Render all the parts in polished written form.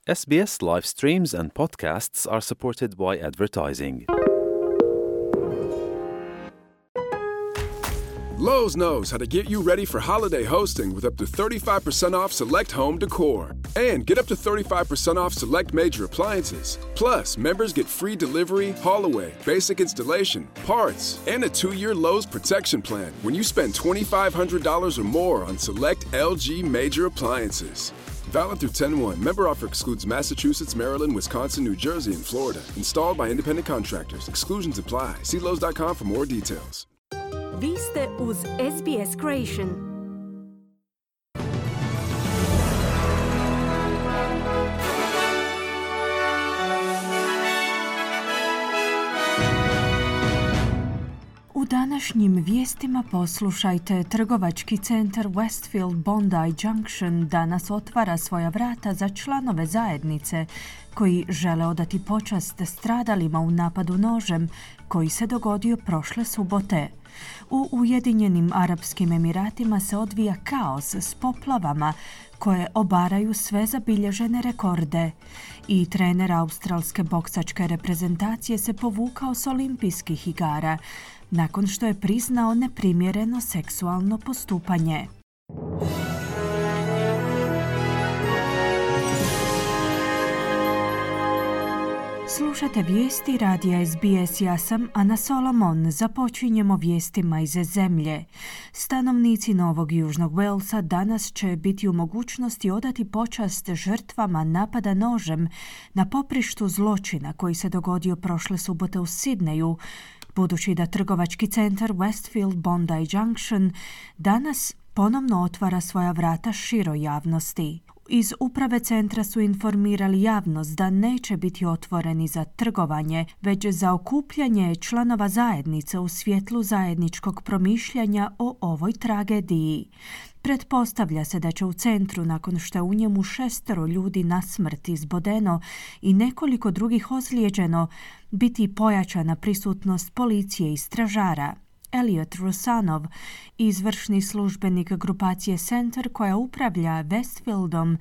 SBS live streams and podcasts are supported by advertising. Lowe's knows how to get you ready for holiday hosting with up to 35% off select home decor. And get up to 35% off select major appliances. Plus, members get free delivery, haul-away, basic installation, parts, and a 2-year Lowe's protection plan when you spend $2,500 or more on select LG major appliances. Valid through 10/1. Member offer excludes Massachusetts, Maryland, Wisconsin, New Jersey, and Florida. Installed by independent contractors. Exclusions apply. See Lowe's.com for more details. Vi ste uz SBS Creation. U današnjim vijestima poslušajte, trgovački centar Westfield Bondi Junction danas otvara svoja vrata za članove zajednice koji žele odati počast stradalima u napadu nožem koji se dogodio prošle subote. U Ujedinjenim Arapskim Emiratima se odvija kaos s poplavama koje obaraju sve zabilježene rekorde. I trener australske boksačke reprezentacije se povukao s olimpijskih igara nakon što je priznao neprimjereno seksualno postupanje. Slušate vijesti radija SBS, ja sam Ana Solomon. Započinjemo vijestima iz zemlje. Stanovnici Novog Južnog Walesa danas će biti u mogućnosti odati počast žrtvama napada nožem na poprištu zločina koji se dogodio prošle subote u Sidneju, budući da trgovački centar Westfield Bondi Junction danas ponovno otvara svoja vrata široj javnosti. Iz uprave centra su informirali javnost da neće biti otvoreni za trgovanje, već za okupljanje članova zajednice u svjetlu zajedničkog promišljanja o ovoj tragediji. Pretpostavlja se da će u centru, nakon što je u njemu 6 ljudi na smrt izbodeno i nekoliko drugih ozlijeđeno, biti pojačana prisutnost policije i stražara. Elliot Rusanov, izvršni službenik grupacije Center koja upravlja Westfieldom,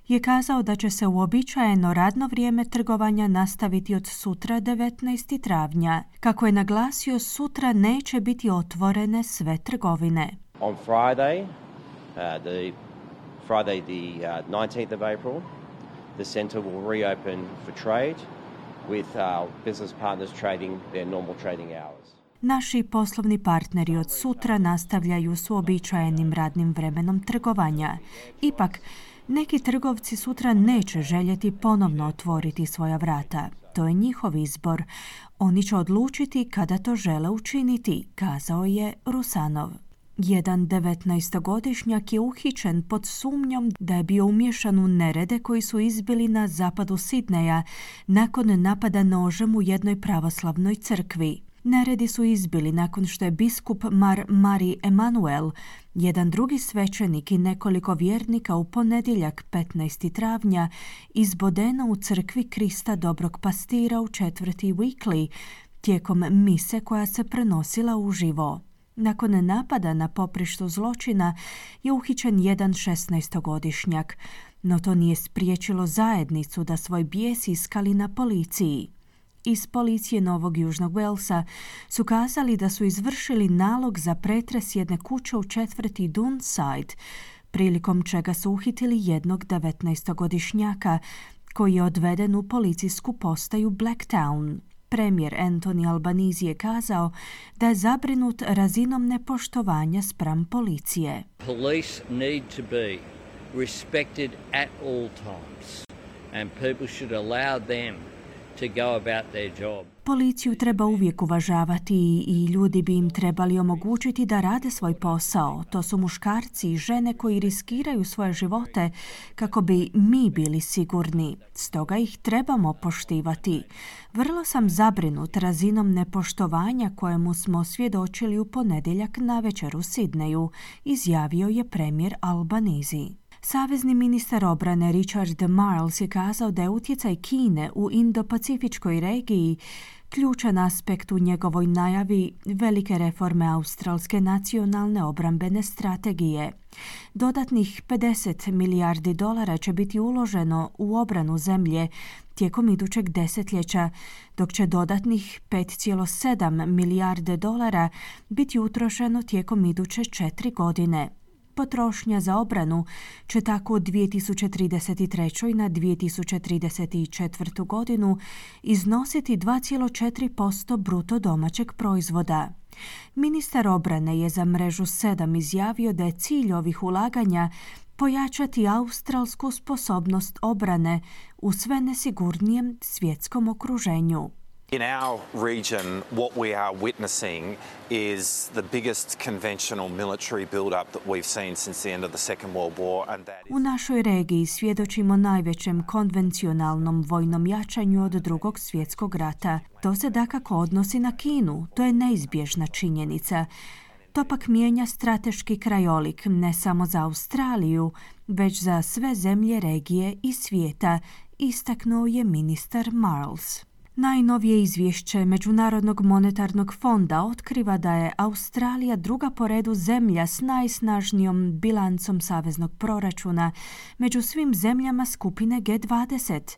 je kazao da će se uobičajeno radno vrijeme trgovanja nastaviti od sutra 19. travnja. Kako je naglasio, sutra neće biti otvorene sve trgovine. On Friday, the 19th of April, the Center will reopen for trade with business partners trading their normal trading hours. Naši poslovni partneri od sutra nastavljaju s uobičajenim radnim vremenom trgovanja. Ipak, neki trgovci sutra neće željeti ponovno otvoriti svoja vrata. To je njihov izbor. Oni će odlučiti kada to žele učiniti, kazao je Rusanov. Jedan 19-godišnjak je uhićen pod sumnjom da je bio umiješan u nerede koji su izbili na zapadu Sidneja nakon napada nožem u jednoj pravoslavnoj crkvi. Neredi su izbili nakon što je biskup Mari Emanuel, jedan drugi svećenik i nekoliko vjernika u ponedjeljak 15. travnja izbodeno u crkvi Krista Dobrog Pastira u četvrti Weekly tijekom mise koja se prenosila uživo. Nakon napada na poprištu zločina je uhićen jedan 16-godišnjak, no to nije spriječilo zajednicu da svoj bijes iskali na policiji. Iz policije Novog Južnog Walesa su kazali da su izvršili nalog za pretres jedne kuće u četvrti Dunside, prilikom čega su uhitili jednog 19-godišnjaka koji je odveden u policijsku postaju Blacktown. Premijer Anthony Albanese je kazao da je zabrinut razinom nepoštovanja spram policije. Police need to be respected at all times and people should allow them to go about their job. Policiju treba uvijek uvažavati i ljudi bi im trebali omogućiti da rade svoj posao. To su muškarci i žene koji riskiraju svoje živote kako bi mi bili sigurni. Stoga ih trebamo poštivati. Vrlo sam zabrinut razinom nepoštovanja kojemu smo svjedočili u ponedjeljak navečer u Sidneju, izjavio je premijer Albanese. Savezni ministar obrane Richard Marles je kazao da je utjecaj Kine u Indo-Pacifičkoj regiji ključan aspekt u njegovoj najavi velike reforme australske nacionalne obrambene strategije. Dodatnih $50 milijardi će biti uloženo u obranu zemlje tijekom idućeg desetljeća, dok će dodatnih $5,7 milijarde biti utrošeno tijekom iduće 4 godine. Potrošnja za obranu će tako od 2033. na 2034. godinu iznositi 2,4% bruto domaćeg proizvoda. Ministar obrane je za Mrežu 7 izjavio da je cilj ovih ulaganja pojačati australsku sposobnost obrane u sve nesigurnijem svjetskom okruženju. In our region, what we are witnessing is the biggest conventional military build-up that we've seen since the end of the Second World War. And that is... U našoj regiji svjedočimo najvećem konvencionalnom vojnom jačanju od Drugog svjetskog rata. To se dakako odnosi na Kinu, to je neizbježna činjenica. To pak mijenja strateški krajolik ne samo za Australiju, već za sve zemlje regije i svijeta, istaknuo je ministar Marles. Najnovije izvješće Međunarodnog monetarnog fonda otkriva da je Australija druga po redu zemlja s najsnažnijom bilancom saveznog proračuna među svim zemljama skupine G20.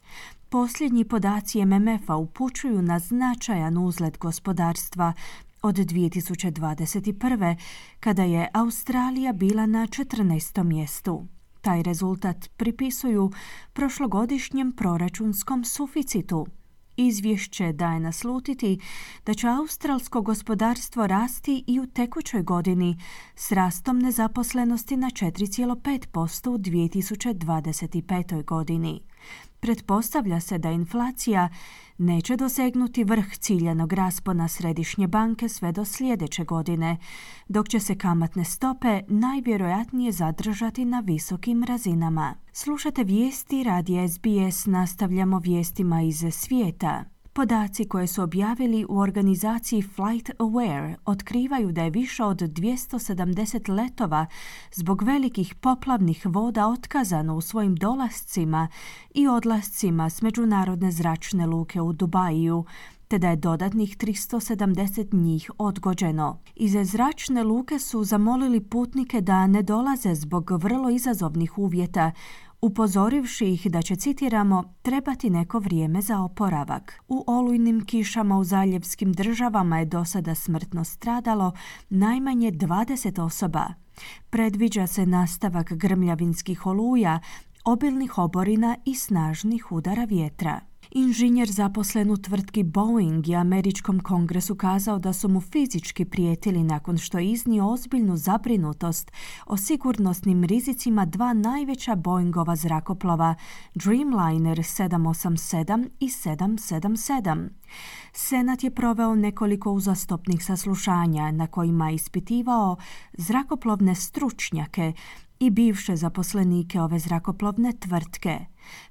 Posljednji podaci MMF-a upućuju na značajan uzlet gospodarstva od 2021. kada je Australija bila na 14. mjestu. Taj rezultat pripisuju prošlogodišnjem proračunskom suficitu. Izvješće daje naslutiti da će australsko gospodarstvo rasti i u tekućoj godini s rastom nezaposlenosti na 4,5% u 2025. godini. Pretpostavlja se da inflacija neće dosegnuti vrh ciljanog raspona Središnje banke sve do sljedeće godine, dok će se kamatne stope najvjerojatnije zadržati na visokim razinama. Slušate vijesti radija SBS, nastavljamo vijestima iz svijeta. Podaci koje su objavili u organizaciji Flight Aware otkrivaju da je više od 270 letova zbog velikih poplavnih voda otkazano u svojim dolascima i odlascima s međunarodne zračne luke u Dubaju, te da je dodatnih 370 njih odgođeno. Iz zračne luke su zamolili putnike da ne dolaze zbog vrlo izazovnih uvjeta, upozorivši ih da će, citiramo, trebati neko vrijeme za oporavak. U olujnim kišama u zaljevskim državama je do sada smrtno stradalo najmanje 20 osoba. Predviđa se nastavak grmljavinskih oluja, obilnih oborina i snažnih udara vjetra. Inženjer zaposlen u tvrtki Boeing je američkom kongresu kazao da su mu fizički prijetili nakon što je iznio ozbiljnu zabrinutost o sigurnosnim rizicima dva najveća Boeingova zrakoplova, Dreamliner 787 i 777. Senat je proveo nekoliko uzastopnih saslušanja na kojima je ispitivao zrakoplovne stručnjake i bivše zaposlenike ove zrakoplovne tvrtke.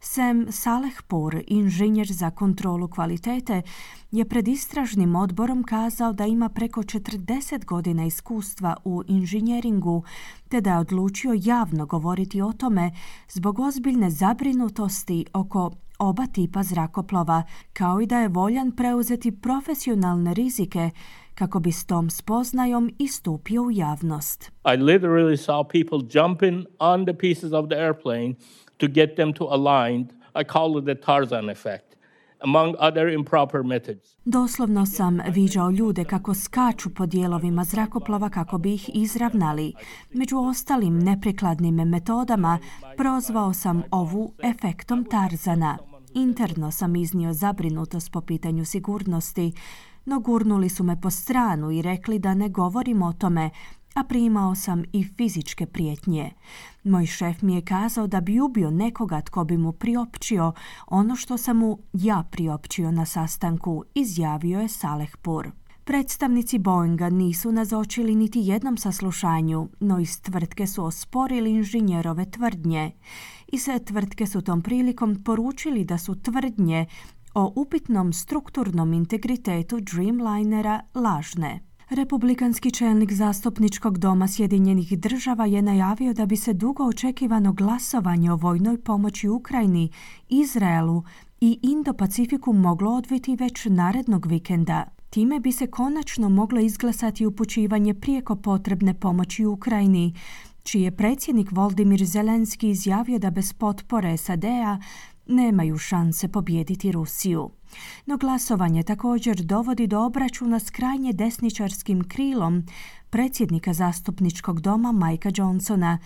Sam Salehpour, inženjer za kontrolu kvalitete, je pred istražnim odborom kazao da ima preko 40 godina iskustva u inženjeringu, te da je odlučio javno govoriti o tome zbog ozbiljne zabrinutosti oko oba tipa zrakoplova, kao i da je voljan preuzeti profesionalne rizike kako bi s tom spoznajom istupio u javnost. I literally saw people jumping on the pieces of the airplane to get them to align. I call it the Tarzan effect, among other improper methods. Doslovno sam viđao ljude kako skaču po dijelovima zrakoplova kako bi ih izravnali. Među ostalim neprikladnim metodama prozvao sam ovu efektom Tarzana. Interno sam iznio zabrinutost po pitanju sigurnosti, no gurnuli su me po stranu i rekli da ne govorim o tome, a primao sam i fizičke prijetnje. Moj šef mi je kazao da bi ubio nekoga tko bi mu priopćio ono što sam mu ja priopćio na sastanku, izjavio je Salehpour. Predstavnici Boeinga nisu nazočili niti jednom saslušanju, no iz tvrtke su osporili inženjerove tvrdnje. I sve tvrtke su tom prilikom poručili da su tvrdnje o upitnom strukturnom integritetu Dreamlinera lažne. Republikanski čelnik zastupničkog doma Sjedinjenih država je najavio da bi se dugo očekivano glasovanje o vojnoj pomoći Ukrajini, Izraelu i Indo-Pacifiku moglo odviti već narednog vikenda. Time bi se konačno moglo izglasati upućivanje prijeko potrebne pomoći Ukrajini, čiji je predsjednik Volodymyr Zelenski izjavio da bez potpore SAD-a nemaju šanse pobijediti Rusiju. No glasovanje također dovodi do obračuna s krajnje desničarskim krilom predsjednika zastupničkog doma Mikea Johnsona,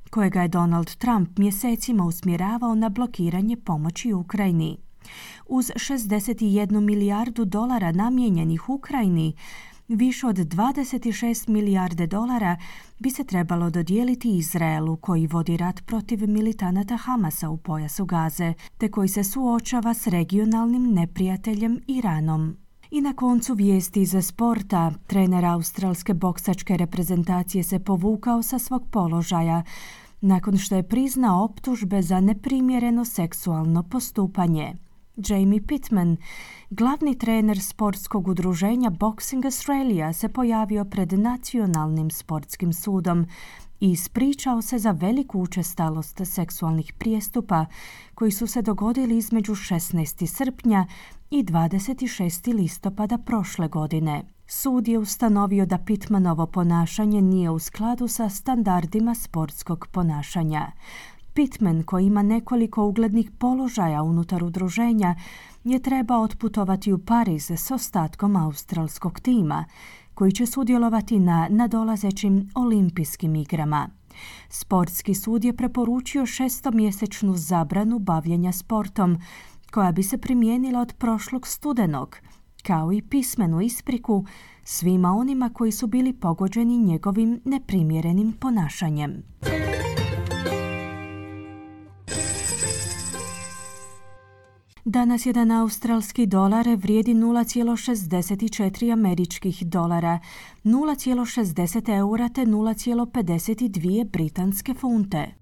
kojega je Donald Trump mjesecima usmjeravao na blokiranje pomoći Ukrajini. Uz 61 milijardu dolara namijenjenih Ukrajini, više od 26 milijarde dolara bi se trebalo dodijeliti Izraelu, koji vodi rat protiv militanata Hamasa u pojasu Gaze, te koji se suočava s regionalnim neprijateljem Iranom. I na koncu vijesti iz sporta, trener australske boksačke reprezentacije se povukao sa svog položaja nakon što je priznao optužbe za neprimjereno seksualno postupanje. Jamie Pittman, glavni trener sportskog udruženja Boxing Australia, se pojavio pred Nacionalnim sportskim sudom i ispričao se za veliku učestalost seksualnih prijestupa koji su se dogodili između 16. srpnja i 26. listopada prošle godine. Sud je ustanovio da Pittmanovo ponašanje nije u skladu sa standardima sportskog ponašanja. Pittman, koji ima nekoliko uglednih položaja unutar udruženja, je trebao otputovati u Pariz s ostatkom australskog tima, koji će sudjelovati na nadolazećim olimpijskim igrama. Sportski sud je preporučio 6-mjesečnu zabranu bavljenja sportom, koja bi se primijenila od prošlog studenog, kao i pismenu ispriku svima onima koji su bili pogođeni njegovim neprimjerenim ponašanjem. Danas jedan australski dolar vrijedi 0,64 američkih dolara, 0,60 eura te 0,52 britanske funte.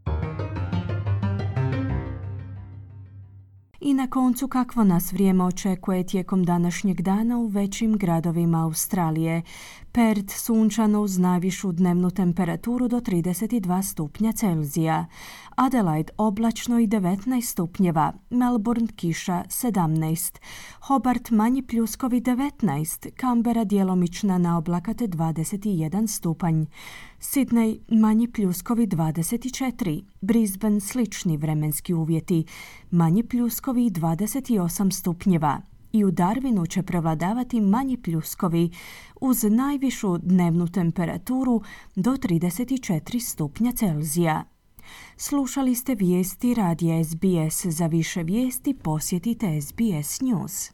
I na koncu, kakvo nas vrijeme očekuje tijekom današnjeg dana u većim gradovima Australije. Perth sunčano uz najvišu dnevnu temperaturu do 32 stupnja Celzija. Adelaide oblačno i 19 stupnjeva. Melbourne kiša 17. Hobart manji pljuskovi 19. Canberra djelomična na oblakate 21 stupanj. Sydney manji pljuskovi 24. Brisbane slični vremenski uvjeti. Manji pljuskovi 28 stupnjeva. I u Darwinu će prevladavati manji pljuskovi uz najvišu dnevnu temperaturu do 34 stupnja Celzija. Slušali ste vijesti radija SBS. Za više vijesti posjetite SBS News.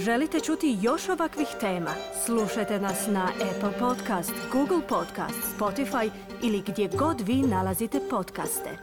Želite čuti još ovakvih tema? Slušajte nas na Apple Podcast, Google Podcast, Spotify ili gdje god vi nalazite podcaste.